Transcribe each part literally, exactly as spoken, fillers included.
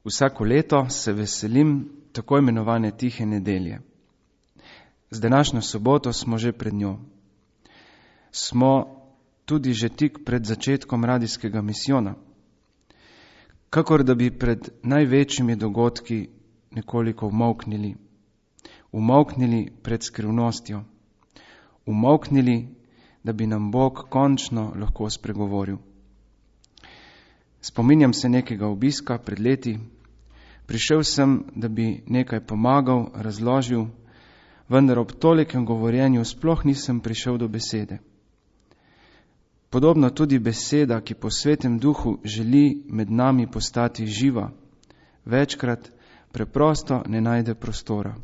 Vsako leto se veselim tako imenovane tihe nedelje. Z današnjo soboto smo že pred njo. Smo tudi že tik pred začetkom radijskega misijona. Kakor da bi pred največjimi dogodki nekoliko umolknili. Umolknili pred skrivnostjo. Umolknili, da bi nam Bog končno lahko spregovoril. Spominjam se nekega obiska pred leti. Prišel sem, da bi nekaj pomagal, razložil, vendar ob tolikem govorjenju sploh nisem prišel do besede. Podobno tudi beseda, ki po Svetem Duhu želi med nami postati živa, večkrat preprosto ne najde prostora.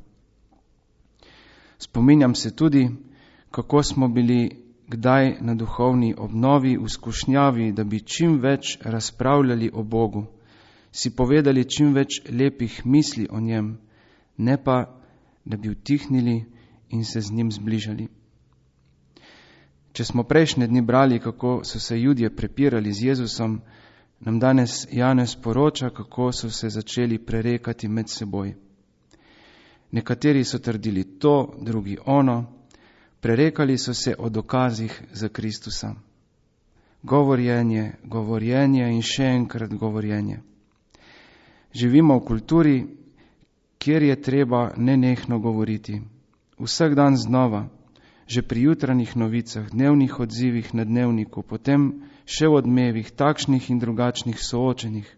Spominjam se tudi, kako smo bili kdaj na duhovni obnovi v skušnjavi, da bi čim več razpravljali o Bogu, si povedali čim več lepih misli o njem, ne pa, da bi utihnili in se z njim zbližali. Če smo prejšnje dni brali, kako so se Judje prepirali z Jezusom, nam danes Janez poroča, kako so se začeli prerekati med seboj. Nekateri so trdili to, drugi ono, prerekali so se o dokazih za Kristusa. Govorjenje, govorjenje in še enkrat govorjenje. Živimo v kulturi, kjer je treba nenehno govoriti. Vsak dan znova, že pri jutranjih novicah, dnevnih odzivih na dnevniku, potem še v odmevih, takšnih in drugačnih soočenih.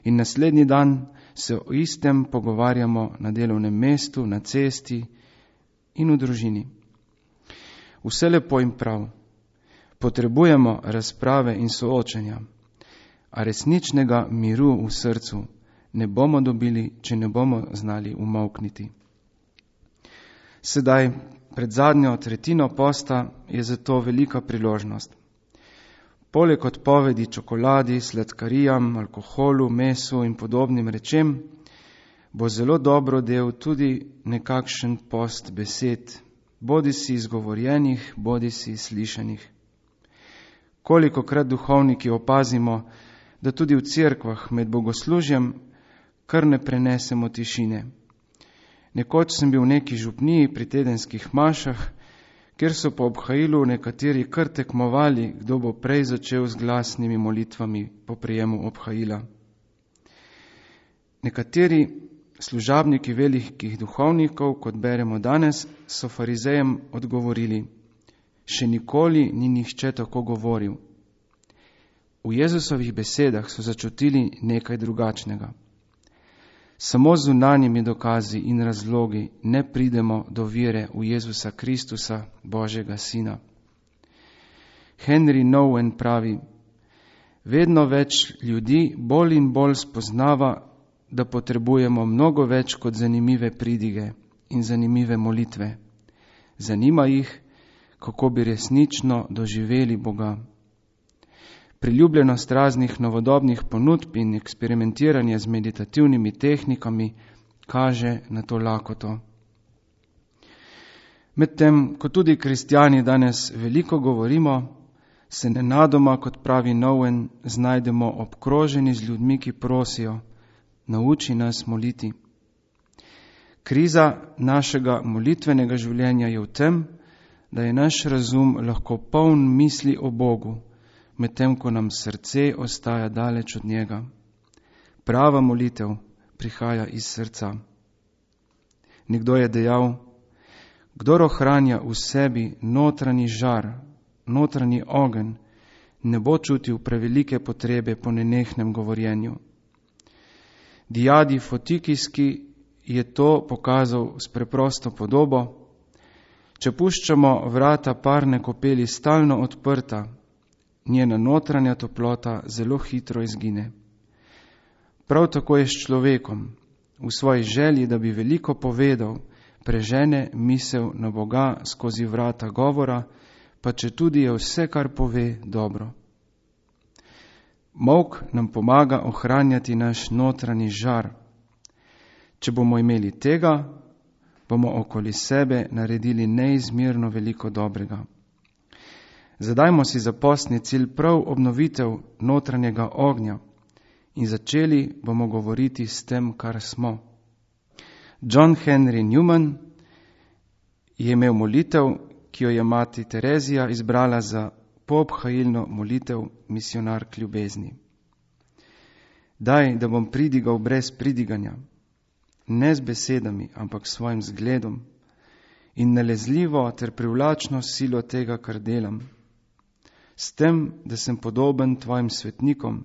In naslednji dan se o istem pogovarjamo na delovnem mestu, na cesti in v družini. Vse lepo in prav. Potrebujemo razprave in soočenja, a resničnega miru v srcu ne bomo dobili, če ne bomo znali umolkniti. Sedaj, pred zadnjo tretjino posta, je zato velika priložnost. Poleg odpovedi čokoladi, sladkarijam, alkoholu, mesu in podobnim rečem, bo zelo dobro del tudi nekakšen post besed, bodi si izgovorjenih, bodi si slišanih. Kolikokrat duhovniki opazimo, da tudi v cerkvah med bogoslužjem kar ne prenesemo tišine. Nekoč sem bil v neki župniji pri tedenskih mašah, kjer so po obhajilu nekateri kar tekmovali, kdo bo prej začel z glasnimi molitvami po prijemu obhajila. Nekateri služabniki velikih duhovnikov, kot beremo danes, so farizejem odgovorili: še nikoli ni nihče tako govoril. V Jezusovih besedah so začutili nekaj drugačnega. Samo z zunanjimi dokazi in razlogi ne pridemo do vere v Jezusa Kristusa, Božjega Sina. Henry Nouwen pravi: vedno več ljudi bolj in bolj spoznava, da potrebujemo mnogo več kot zanimive pridige in zanimive molitve. Zanima jih, kako bi resnično doživeli Boga. Priljubljenost raznih novodobnih ponudb in eksperimentiranje z meditativnimi tehnikami kaže na to lakoto. Medtem, ko tudi kristjani danes veliko govorimo, se nenadoma, kot pravi Nouwen, znajdemo obkroženi z ljudmi, ki prosijo: nauči nas moliti. Kriza našega molitvenega življenja je v tem, da je naš razum lahko poln misli o Bogu, medtem ko nam srce ostaja daleč od njega. Prava molitev prihaja iz srca. Nekdo je dejal: kdor ohranja v sebi notranji žar, notranji ogenj, ne bo čutil prevelike potrebe po nenehnem govorjenju. Diadi Fotikijski je to pokazal s preprosto podobo: če puščamo vrata parne kopeli stalno odprta, njena notranja toplota zelo hitro izgine. Prav tako je s človekom. V svoji želji, da bi veliko povedal, prežene misel na Boga skozi vrata govora, pa če tudi je vse, kar pove, dobro. Molk nam pomaga ohranjati naš notranji žar. Če bomo imeli tega, bomo okoli sebe naredili neizmerno veliko dobrega. Zadajmo si za postni cilj prav obnovitev notranjega ognja in začeli bomo govoriti s tem, kar smo. John Henry Newman je imel molitev, ki jo je mati Terezija izbrala za poobhajilno molitev Misionark ljubezni. Daj, da bom pridigal brez pridiganja, ne z besedami, ampak s svojim zgledom in nalezljivo ter privlačno silo tega, kar delam, s tem, da sem podoben tvojim svetnikom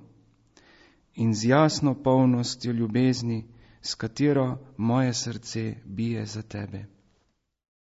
in z jasno polnostjo ljubezni, s katero moje srce bije za tebe.